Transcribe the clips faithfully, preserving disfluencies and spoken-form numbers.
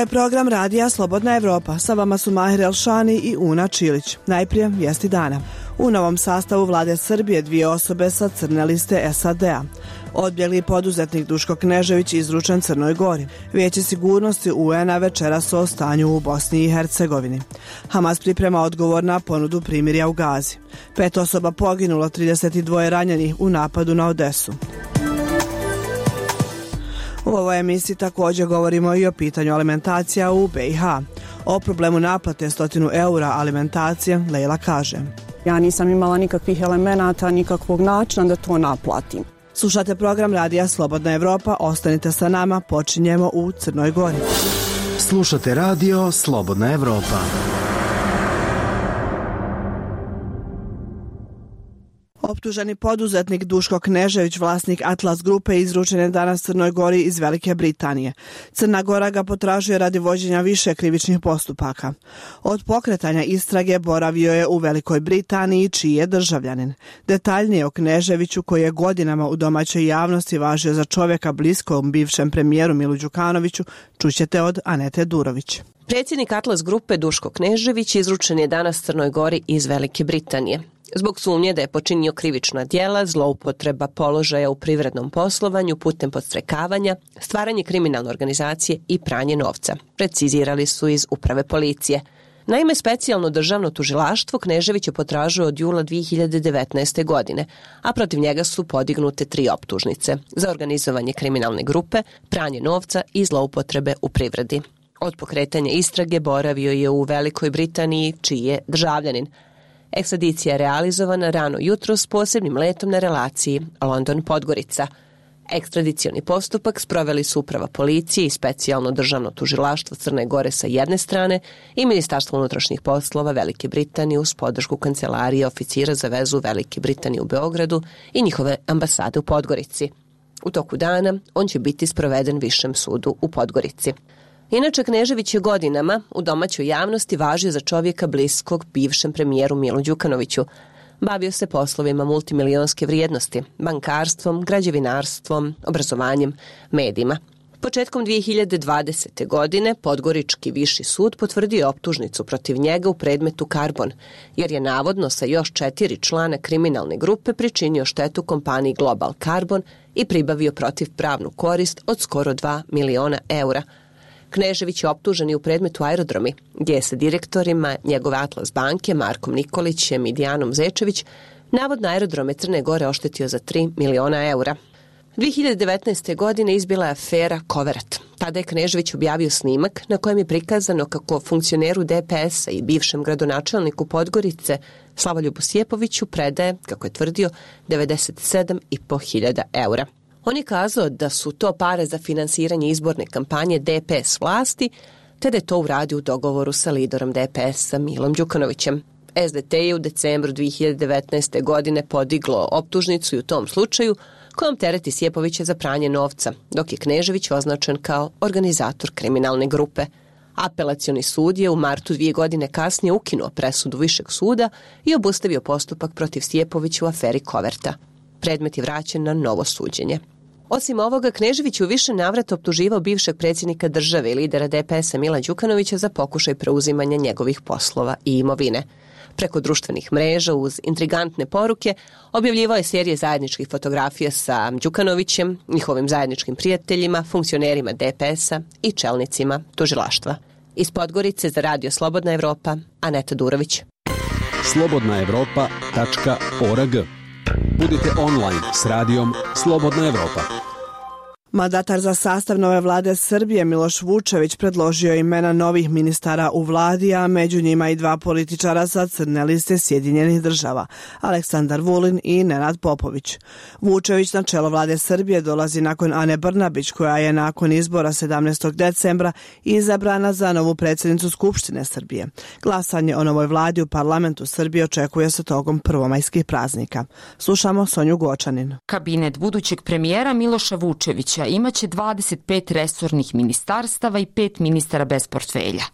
je program Radija Slobodna Evropa. Sa vama su Mahir Elšani i Una Čilić. Najprije vijesti dana. U novom sastavu vlade Srbije dvije osobe sa crne liste S A D-a. Odbjegli poduzetnik Duško Knežević izručen Crnoj Gori. Vijeće sigurnosti U N-a večeras o stanju u Bosni i Hercegovini. Hamas priprema odgovor na ponudu primirja u Gazi. Pet osoba poginulo, trideset dva ranjenih u napadu na Odesu. U ovoj emisiji također govorimo i o pitanju alimentacija u B i H. O problemu naplate stotinu eura alimentacije Lejla kaže: Ja nisam imala nikakvih elemenata, nikakvog načina da to naplatim. Slušate program Radija Slobodna Evropa, ostanite sa nama, počinjemo u Crnoj Gori. Slušate Radio Slobodna Evropa. Optuženi poduzetnik Duško Knežević, vlasnik Atlas grupe, izručen je danas Crnoj Gori iz Velike Britanije. Crna Gora ga potražuje radi vođenja više krivičnih postupaka. Od pokretanja istrage boravio je u Velikoj Britaniji, čiji je državljanin. Detaljnije o Kneževiću, koji je godinama u domaćoj javnosti važio za čovjeka bliskom bivšem premijeru Milu Đukanoviću, čućete od Anete Durović. Predsjednik Atlas grupe Duško Knežević izručen je danas Crnoj Gori iz Velike Britanije. Zbog sumnje da je počinio krivična djela, zloupotreba položaja u privrednom poslovanju putem podstrekavanja, stvaranje kriminalne organizacije i pranje novca, precizirali su iz uprave policije. Naime, specijalno državno tužilaštvo Kneževića potražuje od jula dvije hiljade devetnaeste. godine, a protiv njega su podignute tri optužnice za organizovanje kriminalne grupe, pranje novca i zloupotrebe u privredi. Od pokretanja istrage boravio je u Velikoj Britaniji, čiji je državljanin. Ekstradicija je realizovana rano jutro s posebnim letom na relaciji London-Podgorica. Ekstradicioni postupak sproveli su uprava policije i specijalno državno tužilaštvo Crne Gore sa jedne strane i Ministarstvo unutrašnjih poslova Velike Britanije uz podršku kancelarije oficira za vezu Velike Britanije u Beogradu i njihove ambasade u Podgorici. U toku dana on će biti sproveden Višem sudu u Podgorici. Inače, Knežević je godinama u domaćoj javnosti važio za čovjeka bliskog bivšem premijeru Milu Đukanoviću. Bavio se poslovima multimilionske vrijednosti, bankarstvom, građevinarstvom, obrazovanjem, medijima. Početkom dvije hiljade dvadesete. godine Podgorički viši sud potvrdio je optužnicu protiv njega u predmetu Karbon, jer je navodno sa još četiri člana kriminalne grupe pričinio štetu kompaniji Global Carbon i pribavio protivpravnu korist od skoro dva miliona eura. Knežević je optužen i u predmetu Aerodromi, gdje je sa direktorima njegove Atlas banke Markom Nikolićem i Dijanom Zečević navodno Aerodrome Crne Gore oštetio za tri miliona eura. dvije hiljade devetnaeste. godine izbila je afera Koverat. Tada je Knežević objavio snimak na kojem je prikazano kako funkcioneru D P S-a i bivšem gradonačelniku Podgorice Slavoljubu Sjepoviću predaje, kako je tvrdio, devedeset sedam i po hiljada eura. On je kazao da su to pare za finansiranje izborne kampanje D P S vlasti, te da je to uradio u dogovoru sa liderom D P S-a Milom Đukanovićem. S D T je u decembru dvije hiljade devetnaeste. godine podiglo optužnicu i u tom slučaju kojom tereti Sjepovića za pranje novca, dok je Knežević označen kao organizator kriminalne grupe. Apelacioni sud je u martu dvije godine kasnije ukinuo presudu Višeg suda i obustavio postupak protiv Sjepovića u aferi Koverta. Predmet je vraćen na novo suđenje. Osim ovoga, Knežević u više navrata optuživao bivšeg predsjednika države i lidera D P S-a Mila Đukanovića za pokušaj preuzimanja njegovih poslova i imovine. Preko društvenih mreža uz intrigantne poruke objavljivao je serije zajedničkih fotografija sa Đukanovićem, njihovim zajedničkim prijateljima, funkcionerima D P S-a i čelnicima tužilaštva. Iz Podgorice za Radio Slobodna Evropa, Aneta Durović. slobodna evropa tačka org. Budite online s radijom Slobodna Evropa. Mandatar za sastav nove vlade Srbije Miloš Vučević predložio imena novih ministara u vladi, a među njima i dva političara sa crne liste Sjedinjenih država, Aleksandar Vulin i Nenad Popović. Vučević na čelo vlade Srbije dolazi nakon Ane Brnabić, koja je nakon izbora sedamnaestog decembra izabrana za novu predsjednicu Skupštine Srbije. Glasanje o novoj vladi u parlamentu Srbije očekuje se tokom prvomajskih praznika. Slušamo Sonju Gočanin. Kabinet budućeg premijera Miloša Vučevića Vučića imaće dvadeset pet resornih ministarstava i pet ministara bez portfelja.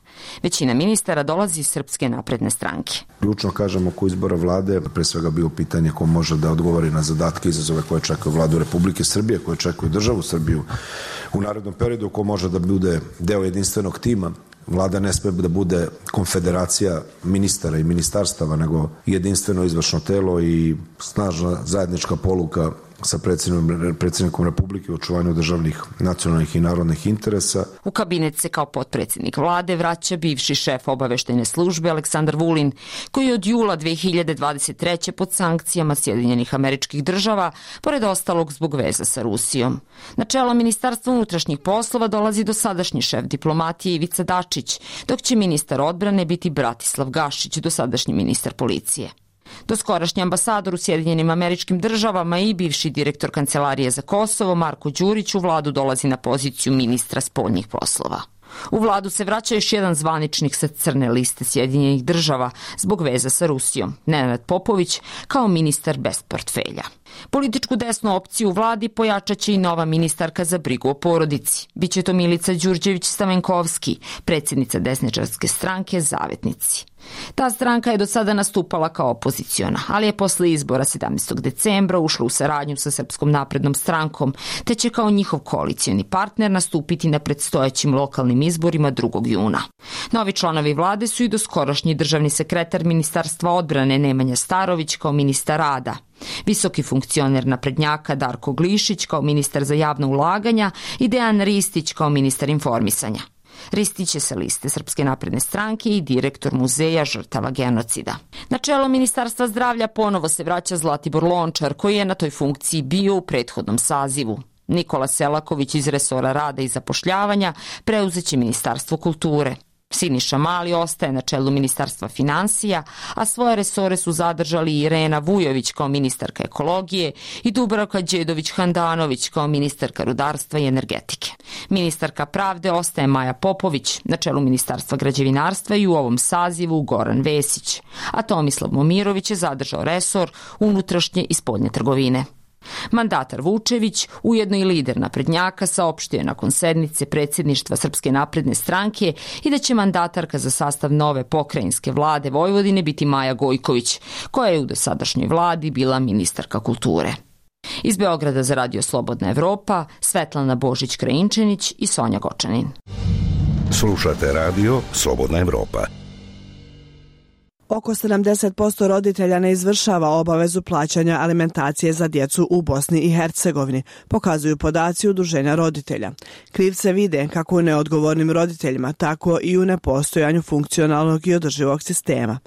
Većina ministara dolazi iz Srpske napredne stranke. Ključno kažemo oko izbora vlade, pre svega bio pitanje ko može da odgovori na zadatke i izazove koje čekaju vladu Republike Srbije, koje čekaju državu Srbiju u narednom periodu, ko može da bude deo jedinstvenog tima. Vlada ne sme da bude konfederacija ministara i ministarstava, nego jedinstveno izvršno telo i snažna zajednička poluka sa predsjednikom, predsjednikom Republike u očuvanju državnih, nacionalnih i narodnih interesa. U kabinet se kao potpredsjednik vlade vraća bivši šef obaveštajne službe Aleksandar Vulin, koji je od jula dve hiljade dvadeset treće pod sankcijama Sjedinjenih Američkih Država, pored ostalog zbog veza sa Rusijom. Na čelo Ministarstva unutrašnjih poslova dolazi dosadašnji šef diplomatije Ivica Dačić, dok će ministar odbrane biti Bratislav Gašić, dosadašnji ministar policije. Doskorašnji ambasador u Sjedinjenim Američkim Državama i bivši direktor Kancelarije za Kosovo Marko Đurić u vladu dolazi na poziciju ministra spoljnih poslova. U vladu se vraća još jedan zvaničnik sa crne liste Sjedinjenih Država zbog veza sa Rusijom, Nenad Popović, kao ministar bez portfelja. Političku desnu opciju u vladi pojačaće i nova ministarka za brigu o porodici. Biće to Milica Đurđević-Stamenkovski, predsjednica desničarske stranke Zavetnici. Ta stranka je do sada nastupala kao opoziciona, ali je posle izbora sedamnaestog decembra ušla u saradnju sa Srpskom naprednom strankom, te će kao njihov koalicioni partner nastupiti na predstojećim lokalnim izborima drugog juna. Novi članovi vlade su i doskorašnji državni sekretar Ministarstva odbrane Nemanja Starović kao ministar rada, visoki funkcioner naprednjaka Darko Glišić kao ministar za javna ulaganja i Dejan Ristić kao ministar informisanja. Ristić je sa liste Srpske napredne stranke i direktor muzeja žrtava genocida. Na čelo Ministarstva zdravlja ponovo se vraća Zlatibor Lončar, koji je na toj funkciji bio u prethodnom sazivu. Nikola Selaković iz resora rada i zapošljavanja preuzeće Ministarstvo kulture. Siniša Mali ostaje na čelu Ministarstva finansija, a svoje resore su zadržali Irena Vujović kao ministarka ekologije i Dubravka Đedović-Handanović kao ministarka rudarstva i energetike. Ministarka pravde ostaje Maja Popović, na čelu Ministarstva građevinarstva i u ovom sazivu Goran Vesić, a Tomislav Momirović je zadržao resor unutrašnje i spoljne trgovine. Mandatar Vučević, ujedno i lider naprednjaka, saopštio je nakon sednice predsjedništva Srpske napredne stranke i da će mandatarka za sastav nove pokrajinske vlade Vojvodine biti Maja Gojković, koja je u dosadašnjoj vladi bila ministarka kulture. Iz Beograda za Radio Slobodna Evropa, Svetlana Božić-Krajinčanić i Sonja Gočanin. Slušate Radio Slobodna Evropa. Oko sedamdeset posto roditelja ne izvršava obavezu plaćanja alimentacije za djecu u Bosni i Hercegovini, pokazuju podaci Udruženja roditelja. Krivce vide kako u neodgovornim roditeljima, tako i u nepostojanju funkcionalnog i održivog sistema.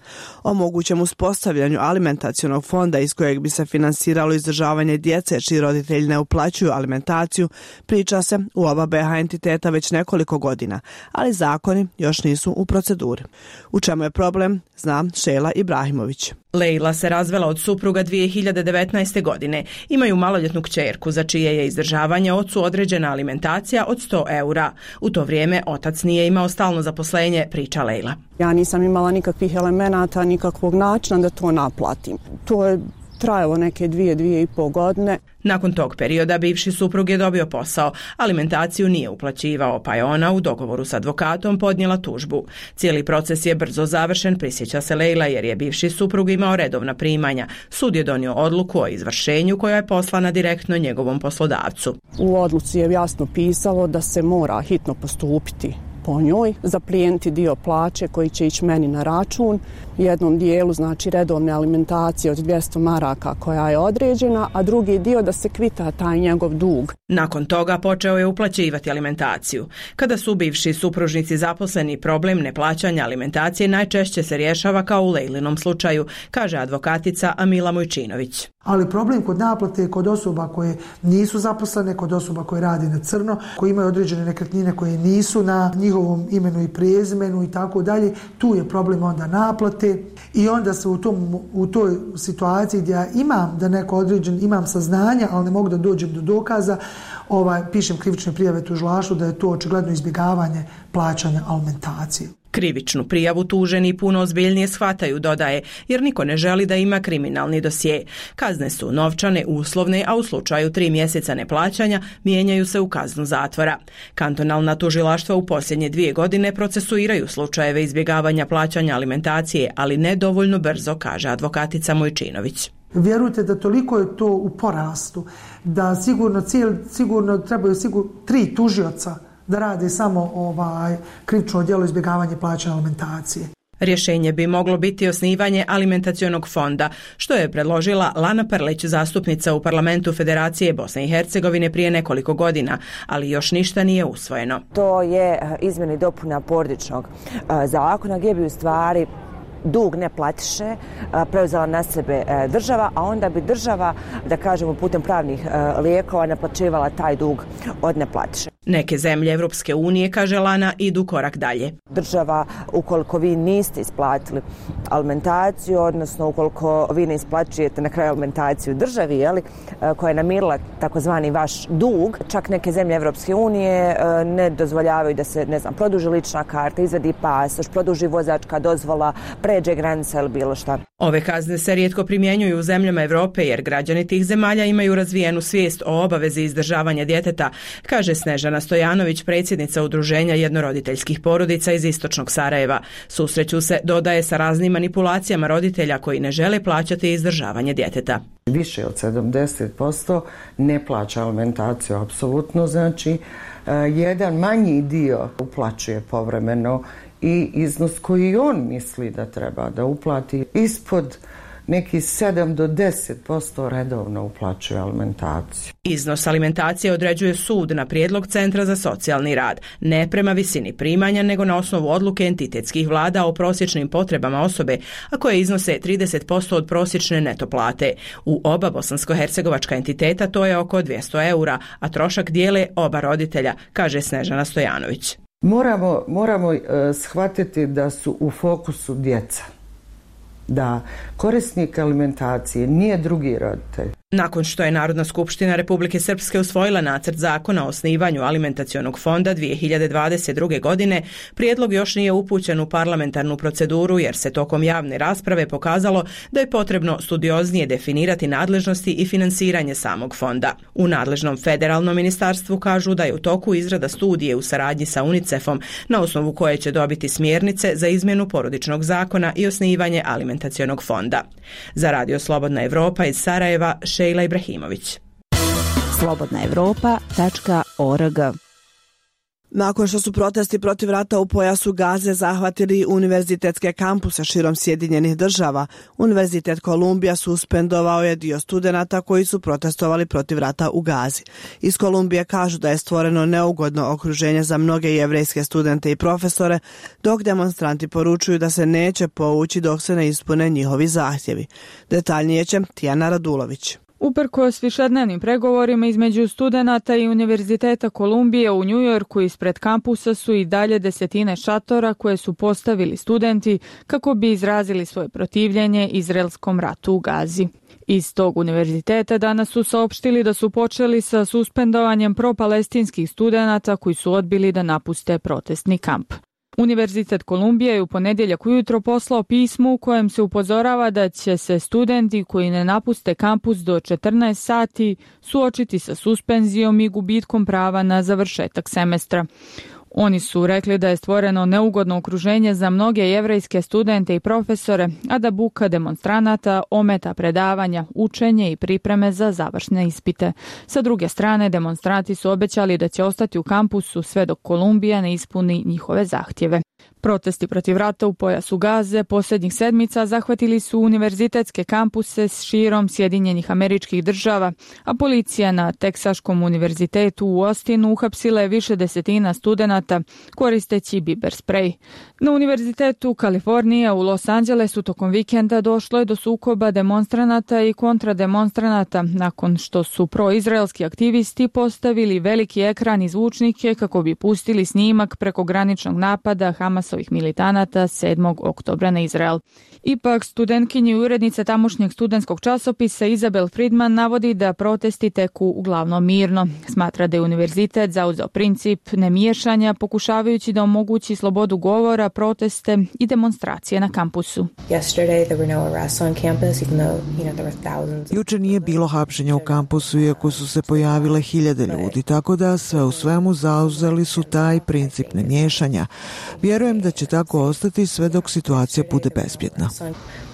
O mogućem uspostavljanju alimentacionog fonda iz kojeg bi se finansiralo izdržavanje djece čiji roditelji ne uplaćuju alimentaciju priča se u oba be ha entiteta već nekoliko godina, ali zakoni još nisu u proceduri. U čemu je problem, zna Šela Ibrahimović. Lejla se razvela od supruga dvije hiljade devetnaeste. godine. Imaju maloljetnu kćerku za čije je izdržavanje ocu određena alimentacija od sto eura. U to vrijeme otac nije imao stalno zaposlenje, priča Lejla. Ja nisam imala nikakvih elemenata, nikakvog načina da to naplatim. To je trajalo neke dvije, dvije i pol godine. Nakon tog perioda bivši suprug je dobio posao, alimentaciju nije uplaćivao, pa je ona u dogovoru s advokatom podnijela tužbu. Cijeli proces je brzo završen, prisjeća se Lejla, jer je bivši suprug imao redovna primanja. Sud je donio odluku o izvršenju koja je poslana direktno njegovom poslodavcu. U odluci je jasno pisalo da se mora hitno postupiti po njoj, zaplijeniti dio plaće koji će ići meni na račun, jednom dijelu znači redovne alimentacije od dvjesto maraka koja je određena, a drugi dio da se kvita taj njegov dug. Nakon toga počeo je uplaćivati alimentaciju. Kada su bivši supružnici zaposleni, problem neplaćanja alimentacije najčešće se rješava kao u Lejlinom slučaju, kaže advokatica Amila Mojčinović. Ali problem kod naplate je kod osoba koje nisu zaposlene, kod osoba koje radi na crno, koji imaju određene nekretnine koje nisu na njihovom imenu i prezimenu i tako dalje. Tu je problem onda naplate i onda se u, tom, u toj situaciji gdje ja imam da neko određen, imam saznanja, ali ne mogu da dođem do dokaza, ovaj, pišem krivične prijave tužilaštvu da je to očigledno izbjegavanje plaćanja alimentacije. Krivičnu prijavu tuženi puno ozbiljnije shvataju, dodaje, jer niko ne želi da ima kriminalni dosje. Kazne su novčane, uslovne, a u slučaju tri mjeseca neplaćanja mijenjaju se u kaznu zatvora. Kantonalna tužilaštva u posljednje dvije godine procesuiraju slučajeve izbjegavanja plaćanja alimentacije, ali ne dovoljno brzo, kaže advokatica Mojčinović. Vjerujte da toliko je to u porastu, da sigurno, cijel, sigurno trebaju sigurno tri tužioca da rade samo ovaj krivično djelo izbjegavanja plaćanja alimentacije. Rješenje bi moglo biti osnivanje alimentacionog fonda, što je predložila Lana Prlić, zastupnica u parlamentu Federacije Bosne i Hercegovine prije nekoliko godina, ali još ništa nije usvojeno. To je izmjena i dopuna porodičnog zakona gdje bi u stvari dug neplatiše preuzela na sebe država, a onda bi država, da kažemo putem pravnih lijekova, naplaćivala taj dug od neplatiše. Neke zemlje Evropske unije, kaže Lana, idu korak dalje. Država, ukoliko vi niste isplatili alimentaciju, odnosno ukoliko vi ne isplaćujete na kraju alimentaciju državi, jeli, koja je namirila takozvani vaš dug, čak neke zemlje Evropske unije ne dozvoljavaju da se, ne znam, produži lična karta, izvadi pasoš, produži vozačka dozvola, pređe granica ili bilo šta. Ove kazne se rijetko primjenjuju u zemljama Europe jer građani tih zemalja imaju razvijenu svijest o obavezi izdržavanja djeteta, kaže Snežana Stojanović, predsjednica Udruženja jednoroditeljskih porodica iz istočnog Sarajeva. Susreću se, dodaje, sa raznim manipulacijama roditelja koji ne žele plaćati izdržavanje djeteta. Više od sedamdeset posto ne plaća alimentaciju, apsolutno, znači jedan manji dio uplaćuje povremeno i iznos koji on misli da treba da uplati ispod neki sedam do deset posto redovno uplaćuje alimentaciju. Iznos alimentacije određuje sud na prijedlog Centra za socijalni rad, ne prema visini primanja, nego na osnovu odluke entitetskih vlada o prosječnim potrebama osobe, a koje iznose trideset posto od prosječne neto plate. U oba bosansko-hercegovačka entiteta to je oko dvjesto eura, a trošak dijele oba roditelja, kaže Snežana Stojanović. Moramo, moramo uh, shvatiti da su u fokusu djeca, da korisnik alimentacije nije drugi roditelj. Nakon što je Narodna skupština Republike Srpske usvojila nacrt zakona o osnivanju alimentacionog fonda dvije hiljade dvadeset druge. godine, prijedlog još nije upućen u parlamentarnu proceduru jer se tokom javne rasprave pokazalo da je potrebno studioznije definirati nadležnosti i finansiranje samog fonda. U nadležnom federalnom ministarstvu kažu da je u toku izrada studije u saradnji sa UNICEF-om na osnovu koje će dobiti smjernice za izmjenu porodičnog zakona i osnivanje alimentacionog fonda. Za Radio Slobodna Evropa iz Sarajeva, Šejla Ibrahimović. slobodna evropa tačka org. Nakon što su protesti protiv rata u pojasu Gaze zahvatili univerzitetske kampuse širom Sjedinjenih država, Univerzitet Kolumbija suspendovao je dio studenata koji su protestovali protiv rata u Gazi. Iz Kolumbije kažu da je stvoreno neugodno okruženje za mnoge jevrejske studente i profesore, dok demonstranti poručuju da se neće povući dok se ne ispune njihovi zahtjevi. Detaljnije će Tijana Radulović. Uprkos višednevnim pregovorima između studenata i Univerziteta Kolumbije u Njujorku ispred kampusa su i dalje desetine šatora koje su postavili studenti kako bi izrazili svoje protivljenje izraelskom ratu u Gazi. Iz tog univerziteta danas su saopštili da su počeli sa suspendovanjem propalestinskih studenata koji su odbili da napuste protestni kamp. Univerzitet Kolumbije je u ponedjeljak ujutro poslao pismo u kojem se upozorava da će se studenti koji ne napuste kampus do četrnaest sati suočiti sa suspenzijom i gubitkom prava na završetak semestra. Oni su rekli da je stvoreno neugodno okruženje za mnoge jevrejske studente i profesore, a da buka demonstranata ometa predavanja, učenje i pripreme za završne ispite. Sa druge strane, demonstranti su obećali da će ostati u kampusu sve dok Kolumbija ne ispuni njihove zahtjeve. Protesti protiv rata u pojasu Gaze posljednjih sedmica zahvatili su univerzitetske kampuse širom Sjedinjenih Američkih Država, a policija na Teksaškom univerzitetu u Austinu uhapsila je više desetina studenata koristeći biber sprej. Na univerzitetu Kalifornije u Los Angelesu tokom vikenda došlo je do sukoba demonstranata i kontrademonstranata nakon što su proizraelski aktivisti postavili veliki ekran i zvučnike kako bi pustili snimak prekograničnog napada Hamasovih militanata sedmog oktobra na Izrael. Ipak, studentkinja i urednica tamošnjeg studentskog časopisa Izabel Friedman navodi da protesti teku uglavnom mirno. Smatra da je univerzitet zauzeo princip nemiješanja, pokušavajući da omogući slobodu govora, proteste i demonstracije na kampusu. Juče nije bilo hapšenja u kampusu, iako su se pojavile hiljade ljudi, tako da sve u svemu zauzeli su taj princip nemiješanja. Vjerujem da će tako ostati sve dok situacija bude bezbjedna.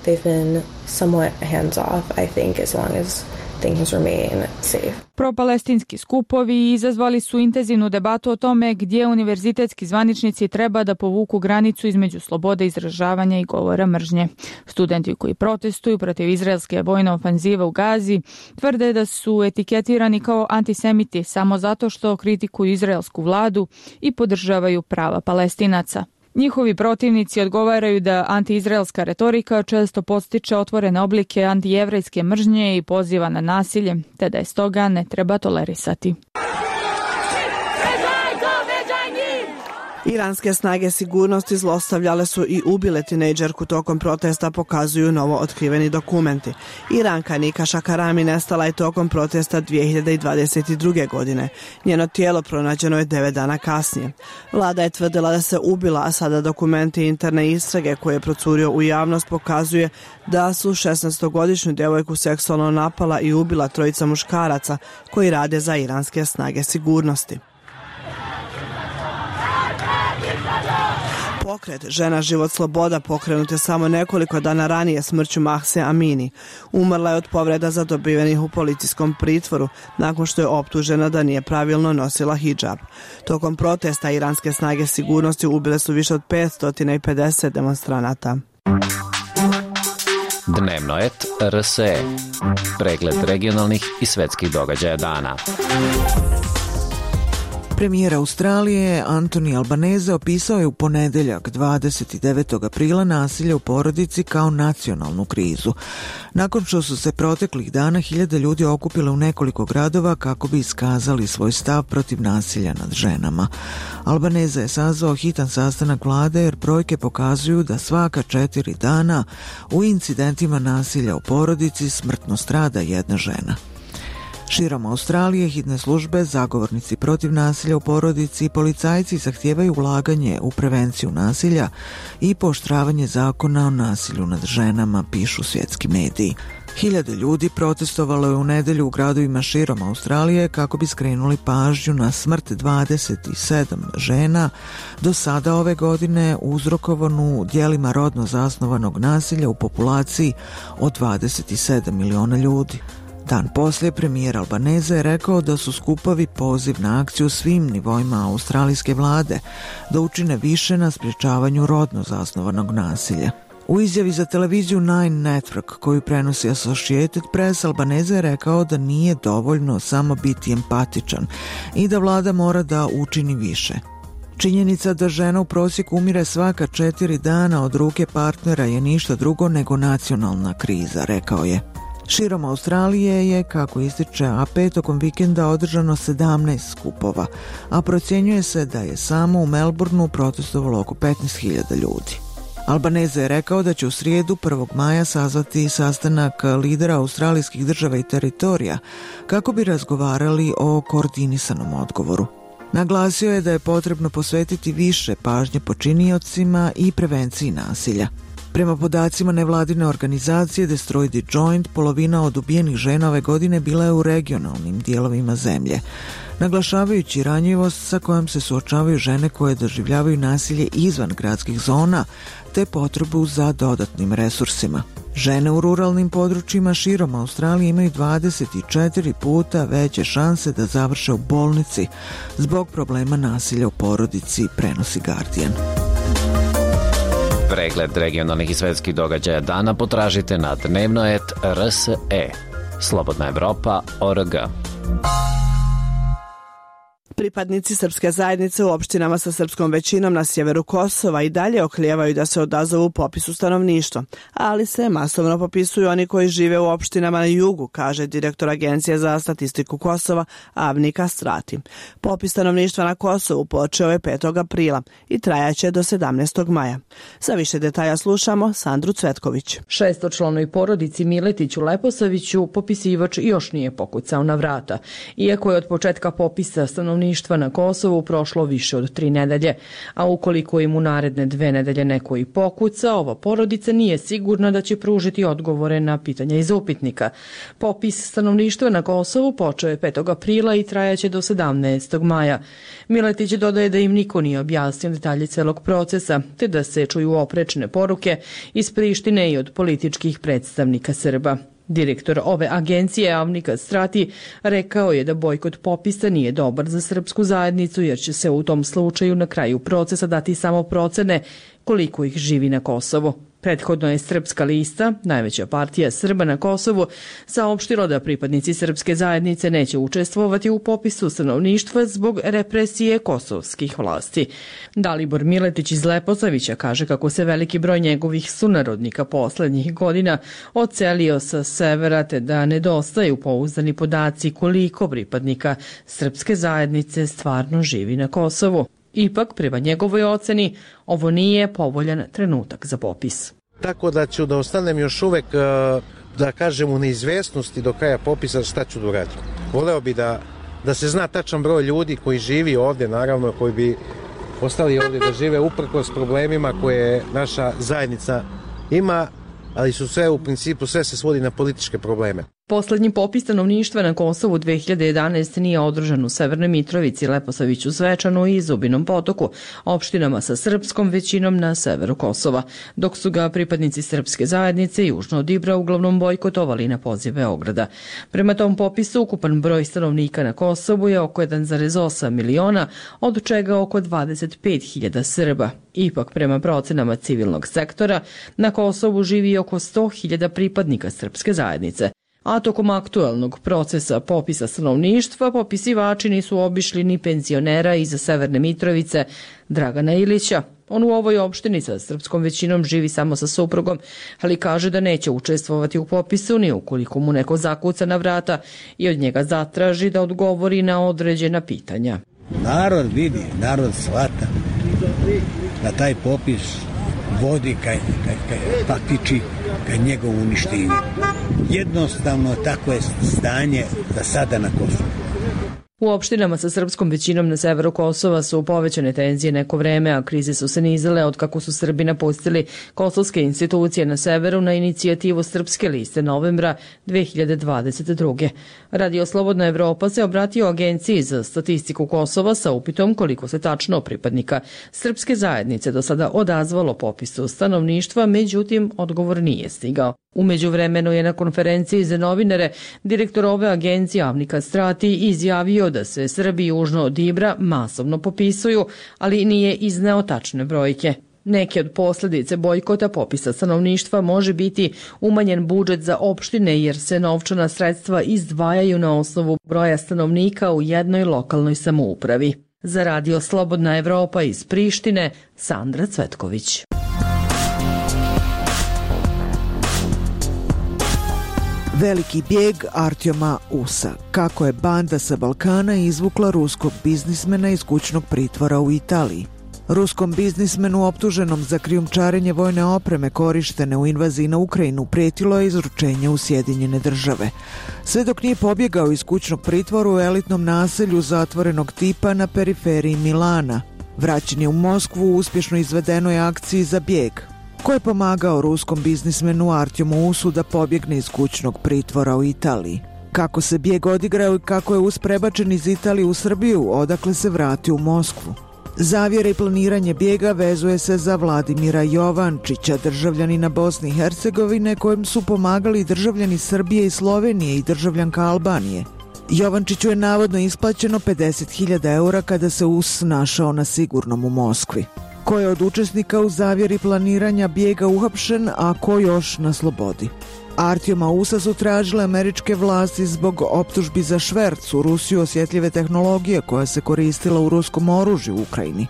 They've been somewhat hands-off, I think, as long as things remain safe. Propalestinski skupovi izazvali su intenzivnu debatu o tome gdje univerzitetski zvaničnici treba da povuku granicu između slobode izražavanja i govora mržnje. Studenti koji protestuju protiv izraelske vojne ofenzive u Gazi tvrde da su etiketirani kao antisemiti samo zato što kritikuju izraelsku vladu i podržavaju prava Palestinaca. Njihovi protivnici odgovaraju da antiizraelska retorika često podstiče otvorene oblike antijevrejske mržnje i poziva na nasilje, te da je stoga ne treba tolerisati. Iranske snage sigurnosti zlostavljale su i ubile tinejdžerku tokom protesta, pokazuju novo otkriveni dokumenti. Iranka Nika Šakarami nestala je tokom protesta dvije hiljade dvadeset druge. godine. Njeno tijelo pronađeno je devet dana kasnije. Vlada je tvrdila da se ubila, a sada dokumenti interne istrage koje je procurio u javnost pokazuje da su šesnaestogodišnju djevojku seksualno napala i ubila trojica muškaraca koji rade za iranske snage sigurnosti. Pokret Žena, život, sloboda pokrenut je samo nekoliko dana ranije smrću Mahse Amini. Umrla je od povreda zadobivenih u policijskom pritvoru nakon što je optužena da nije pravilno nosila hidžab. Tokom protesta iranske snage sigurnosti ubile su više od petsto pedeset demonstranata. Dnevnoet R S E. Pregled regionalnih i svetskih događaja dana. Premijer Australije Anthony Albanese opisao je u ponedeljak dvadeset devetog aprila nasilje u porodici kao nacionalnu krizu. Nakon što su se proteklih dana hiljade ljudi okupile u nekoliko gradova kako bi iskazali svoj stav protiv nasilja nad ženama. Albanese je sazvao hitan sastanak vlade jer brojke pokazuju da svaka četiri dana u incidentima nasilja u porodici smrtno strada jedna žena. Širom Australije hitne službe, zagovornici protiv nasilja u porodici i policajci zahtijevaju ulaganje u prevenciju nasilja i pooštravanje zakona o nasilju nad ženama, pišu svjetski mediji. Hiljade ljudi protestovalo je u nedjelju u gradovima širom Australije kako bi skrenuli pažnju na smrt dvadeset sedam žena do sada ove godine uzrokovanu djelima rodno zasnovanog nasilja u populaciji od dvadeset sedam miliona ljudi. Dan poslije premijer Albanese je rekao da su skupovi poziv na akciju svim nivoima australijske vlade da učine više na sprječavanju rodno zasnovanog nasilja. U izjavi za televiziju Nine Network koju prenosi Associated Press, Albanese je rekao da nije dovoljno samo biti empatičan i da vlada mora da učini više. Činjenica da žena u prosjeku umire svaka četiri dana od ruke partnera je ništa drugo nego nacionalna kriza, rekao je. Širom Australije je, kako ističe A P, tokom vikenda održano sedamnaest skupova, a procjenjuje se da je samo u Melbourneu protestovalo oko petnaest hiljada ljudi. Albanese je rekao da će u srijedu prvog maja sazvati sastanak lidera australijskih država i teritorija kako bi razgovarali o koordinisanom odgovoru. Naglasio je da je potrebno posvetiti više pažnje počiniocima i prevenciji nasilja. Prema podacima nevladine organizacije Destroy the Joint, polovina od ubijenih žena ove godine bila je u regionalnim dijelovima zemlje, naglašavajući ranjivost sa kojom se suočavaju žene koje doživljavaju nasilje izvan gradskih zona, te potrebu za dodatnim resursima. Žene u ruralnim područjima širom Australije imaju dvadeset četiri puta veće šanse da završe u bolnici zbog problema nasilja u porodici, prenosi Guardian. Pregled regionalnih i svetskih događaja dana potražite na dnevnoet R S E. Slobodna Evropa, O R G. Pripadnici srpske zajednice u opštinama sa srpskom većinom na sjeveru Kosova i dalje oklijevaju da se odazovu popisu stanovništva, ali se masovno popisuju oni koji žive u opštinama na jugu, kaže direktor Agencije za statistiku Kosova Avni Kastrati. Popis stanovništva na Kosovu počeo je petog aprila i trajaće do sedamnaestog maja. Za više detalja slušamo Sandru Cvetković. Šestočlanoj porodici Miletić u Leposaviću popisivač još nije pokucao na vrata, iako je od početka popisa stanovništva na Kosovu prošlo više od tri nedelje, a ukoliko im u naredne dve nedelje neko i pokuca, ova porodica nije sigurna da će pružiti odgovore na pitanja iz upitnika. Popis stanovništva na Kosovu počeo je petog aprila i trajaće do sedamnaestog maja. Miletić dodaje da im niko nije objasnio detalje celog procesa, te da se čuju oprečne poruke iz Prištine i od političkih predstavnika Srba. Direktor ove agencije Avni Kastrati rekao je da bojkot popisa nije dobar za srpsku zajednicu jer će se u tom slučaju na kraju procesa dati samo procene koliko ih živi na Kosovu. Prethodno je Srpska lista, najveća partija Srba na Kosovu, saopštila da pripadnici srpske zajednice neće učestvovati u popisu stanovništva zbog represije kosovskih vlasti. Dalibor Miletić iz Leposavića kaže kako se veliki broj njegovih sunarodnika poslednjih godina odselio sa severa te da nedostaju pouzdani podaci koliko pripadnika srpske zajednice stvarno živi na Kosovu. Ipak, prema njegovoj oceni, ovo nije povoljan trenutak za popis. Tako da ću da ostanem još uvek, da kažem, u neizvesnosti do kraja popisa šta ću da uradim. Voleo bi da, da se zna tačan broj ljudi koji živi ovde, naravno, koji bi ostali ovde da žive uprkos problemima koje naša zajednica ima, ali su sve u principu, sve se svodi na političke probleme. Poslednji popis stanovništva na Kosovu dve hiljade jedanaeste. nije održan u Severnoj Mitrovici, Leposaviću, Zvečanu i Zubinom Potoku, opštinama sa srpskom većinom na severu Kosova, dok su ga pripadnici srpske zajednice južno od Ibra uglavnom bojkotovali na poziv Beograda. Prema tom popisu, ukupan broj stanovnika na Kosovu je oko jedan zarez osam miliona, od čega oko dvadeset pet hiljada Srba. Ipak, prema procenama civilnog sektora, na Kosovu živi oko sto hiljada pripadnika srpske zajednice. A tokom aktuelnog procesa popisa stanovništva popisivači nisu obišli ni penzionera iz Severne Mitrovice Dragana Ilića. On u ovoj opštini sa srpskom većinom živi samo sa suprugom, ali kaže da neće učestvovati u popisu ni ukoliko mu neko zakuca na vrata i od njega zatraži da odgovori na određena pitanja. Narod vidi, narod shvata da taj popis vodi ka, ka, ka, faktički ka njegovu uništenju. Jednostavno tako je stanje za sada na Kosovu. U opštinama sa srpskom većinom na severu Kosova su povećane tenzije neko vreme, a krize su se nizale od kako su Srbi napustili kosovske institucije na severu na inicijativu Srpske liste novembra dve hiljade dvadeset druge. Radio Slobodna Evropa se obratio Agenciji za statistiku Kosova sa upitom koliko se tačno pripadnika srpske zajednice do sada odazvalo popisu stanovništva, međutim odgovor nije stigao. U međuvremenu je na konferenciji za novinare direktor ove agencije Avni Kastrati izjavio da se Srbi južno od Ibra masovno popisuju, ali nije izneo tačne brojke. Neke od posljedice bojkota popisa stanovništva može biti umanjen budžet za opštine jer se novčana sredstva izdvajaju na osnovu broja stanovnika u jednoj lokalnoj samoupravi. Za Radio Slobodna Evropa iz Prištine, Sandra Cvetković. Veliki bijeg Artjoma Usa. Kako je banda sa Balkana izvukla ruskog biznismena iz kućnog pritvora u Italiji. Ruskom biznismenu optuženom za krijumčarenje vojne opreme korištene u invaziji na Ukrajinu pretilo je izručenje u Sjedinjene države. Sve dok nije pobjegao iz kućnog pritvora u elitnom naselju zatvorenog tipa na periferiji Milana. Vraćen je u Moskvu u uspješno izvedenoj akciji za bijeg. Ko je pomagao ruskom biznismenu Artjomu Usu da pobjegne iz kućnog pritvora u Italiji? Kako se bijeg odigrao i kako je Us prebačen iz Italije u Srbiju, odakle se vratio u Moskvu? Zavjere i planiranje bijega vezuje se za Vladimira Jovančića, državljanina Bosne i Hercegovine, kojem su pomagali državljani Srbije i Slovenije i državljanka Albanije. Jovančiću je navodno isplaćeno pedeset hiljada eura kada se Us našao na sigurnom u Moskvi. Ko je od učesnika u zavjeri planiranja bijega uhapšen, a ko još na slobodi? Artjoma Usa su tražile američke vlasti zbog optužbi za šverc u Rusiju osjetljive tehnologije koja se koristila u ruskom oružju u Ukrajini.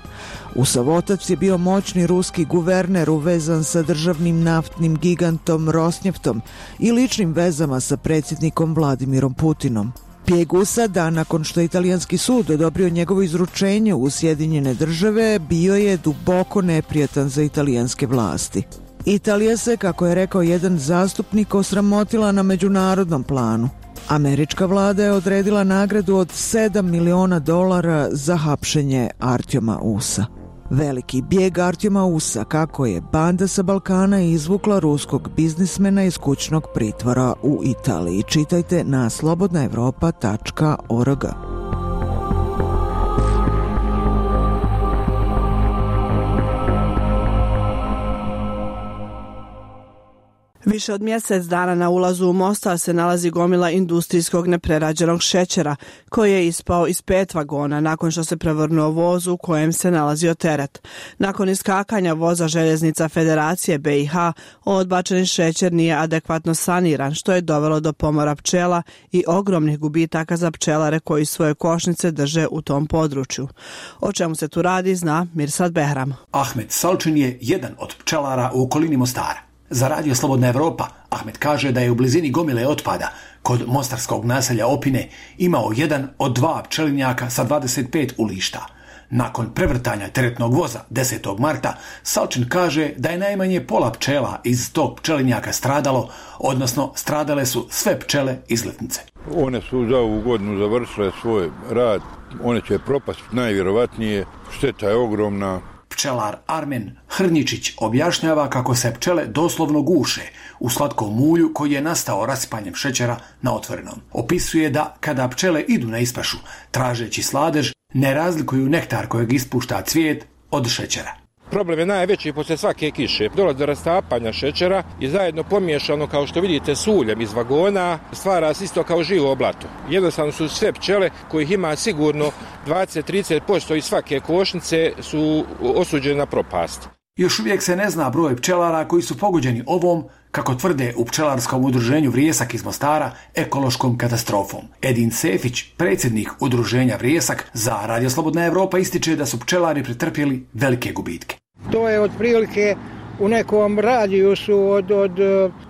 Usav otac je bio moćni ruski guverner uvezan sa državnim naftnim gigantom Rosnjeftom i ličnim vezama sa predsjednikom Vladimirom Putinom. Bijeg Usa, dan nakon što je italijanski sud odobrio njegovo izručenje u Sjedinjene države, bio je duboko neprijatan za italijanske vlasti. Italija se, kako je rekao jedan zastupnik, osramotila na međunarodnom planu. Američka vlada je odredila nagradu od sedam miliona dolara za hapšenje Artjoma Usa. Veliki bijeg Artjoma Usa, kako je banda sa Balkana izvukla ruskog biznismena iz kućnog pritvora u Italiji. Čitajte na slobodna evropa tačka org. Više od mjesec dana na ulazu u Mostar se nalazi gomila industrijskog neprerađenog šećera, koji je ispao iz pet vagona nakon što se prevrnuo voz u kojem se nalazio teret. Nakon iskakanja voza željeznica Federacije be i ha, odbačeni šećer nije adekvatno saniran, što je dovelo do pomora pčela i ogromnih gubitaka za pčelare koji svoje košnice drže u tom području. O čemu se tu radi, zna Mirsad Behram. Ahmet Salčin je jedan od pčelara u okolini Mostara. Za radio Slobodna Evropa, Ahmet kaže da je u blizini gomile otpada kod mostarskog naselja Opine imao jedan od dva pčelinjaka sa dvadeset pet ulišta. Nakon prevrtanja teretnog voza desetog marta, Salčin kaže da je najmanje pola pčela iz tog pčelinjaka stradalo, odnosno stradale su sve pčele iz letnice. One su za ovu godinu završile svoj rad, one će propast najvjerovatnije, šteta je ogromna. Pčelar Armen Hrnjičić objašnjava kako se pčele doslovno guše u slatkom ulju koji je nastao rasipanjem šećera na otvorenom. Opisuje da kada pčele idu na ispašu tražeći sladež, ne razlikuju nektar kojeg ispušta cvijet od šećera. Problem je najveći poslije svake kiše. Dolazi do rastapanja šećera i zajedno pomiješano, kao što vidite, s uljem iz vagona, stvara se isto kao živo oblato. Jednostavno su sve pčele, kojih ima sigurno dvadeset do trideset posto iz svake košnice, su osuđene na propast. Još uvijek se ne zna broj pčelara koji su pogođeni ovom, kako tvrde u pčelarskom udruženju Vrijesak iz Mostara, ekološkom katastrofom. Edin Sefić, predsjednik udruženja Vrijesak, za Radio Slobodna Evropa ističe da su pčelari pretrpjeli velike gubitke. To je otprilike u nekom radijusu od, od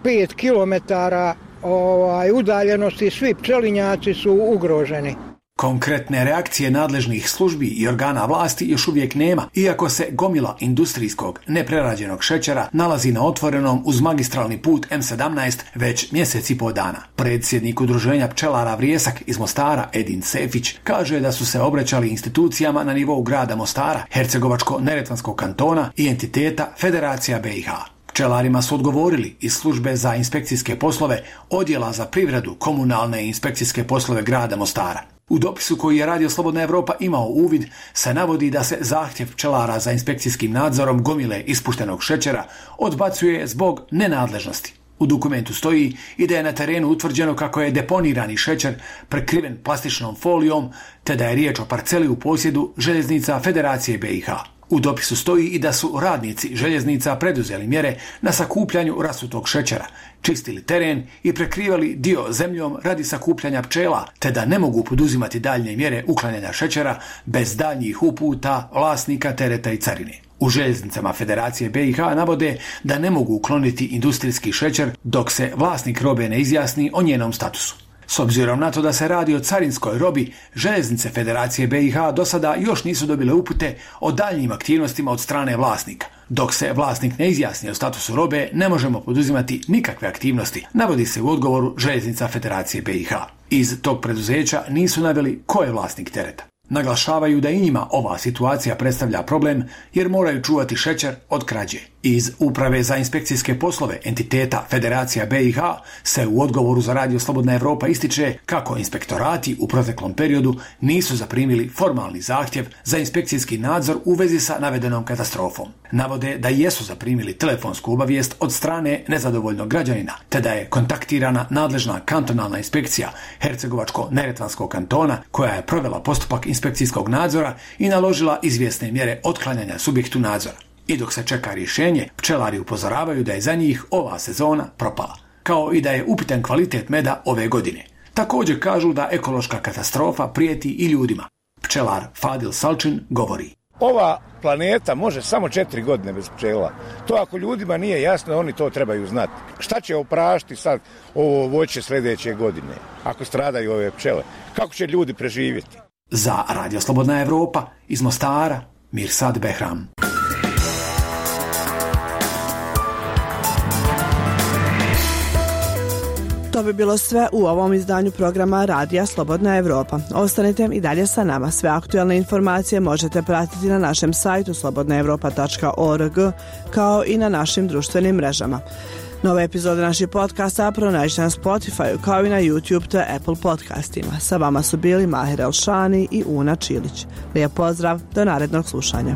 pet kilometara ovaj, udaljenosti, svi pčelinjaci su ugroženi. Konkretne reakcije nadležnih službi i organa vlasti još uvijek nema, iako se gomila industrijskog neprerađenog šećera nalazi na otvorenom uz magistralni put em sedamnaest već mjesec i pol dana. Predsjednik udruženja pčelara Vrijesak iz Mostara, Edin Sefić, kaže da su se obraćali institucijama na nivou grada Mostara, Hercegovačko-Neretvanskog kantona i entiteta Federacija be i ha. Pčelarima su odgovorili iz službe za inspekcijske poslove, odjela za privredu, komunalne i inspekcijske poslove grada Mostara. U dopisu koji je Radio Slobodna Evropa imao uvid se navodi da se zahtjev pčelara za inspekcijskim nadzorom gomile ispuštenog šećera odbacuje zbog nenadležnosti. U dokumentu stoji i da je na terenu utvrđeno kako je deponirani šećer prekriven plastičnom folijom, te da je riječ o parceli u posjedu željeznica Federacije be i ha. U dopisu stoji i da su radnici željeznica preduzeli mjere na sakupljanju rasutog šećera, čistili teren i prekrivali dio zemljom radi sakupljanja pčela, te da ne mogu poduzimati daljnje mjere uklanjanja šećera bez daljnjih uputa vlasnika tereta i carine. U željeznicama Federacije be i ha navode da ne mogu ukloniti industrijski šećer dok se vlasnik robe ne izjasni o njenom statusu. S obzirom na to da se radi o carinskoj robi, željeznice Federacije be i ha do sada još nisu dobile upute o daljnjim aktivnostima od strane vlasnika. Dok se vlasnik ne izjasni o statusu robe, ne možemo poduzimati nikakve aktivnosti, navodi se u odgovoru željeznica Federacije be i ha. Iz tog preduzeća nisu naveli ko je vlasnik tereta. Naglašavaju da i njima ova situacija predstavlja problem jer moraju čuvati šećer od krađe. Iz Uprave za inspekcijske poslove entiteta Federacija be i ha se u odgovoru za Radio Slobodna Evropa ističe kako inspektorati u proteklom periodu nisu zaprimili formalni zahtjev za inspekcijski nadzor u vezi sa navedenom katastrofom. Navode da jesu zaprimili telefonsku obavijest od strane nezadovoljnog građanina, te da je kontaktirana nadležna kantonalna inspekcija Hercegovačko-Neretvanskog kantona koja je provela postupak inspekcijskog nadzora i naložila izvjesne mjere otklanjanja subjektu nadzora. I dok se čeka rješenje, pčelari upozoravaju da je za njih ova sezona propala. kao i da je upitan kvalitet meda ove godine. Također kažu da ekološka katastrofa prijeti i ljudima. Pčelar Fadil Salčin govori. Ova planeta može samo četiri godine bez pčela. To ako ljudima nije jasno, oni to trebaju znati. Šta će oprašti sad ovo voće sljedeće godine, ako stradaju ove pčele? Kako će ljudi preživjeti? Za Radio Slobodna Evropa iz Mostara, Mirsad Behram. To bi bilo sve u ovom izdanju programa Radija Slobodna Evropa. Ostanite i dalje sa nama. Sve aktualne informacije možete pratiti na našem sajtu slobodna evropa tačka org kao i na našim društvenim mrežama. Nove epizode naših podcasta pronađite na Spotify kao i na YouTube te Apple podcastima. Sa vama su bili Mahir Elšani i Una Čilić. Lijep pozdrav, do narednog slušanja.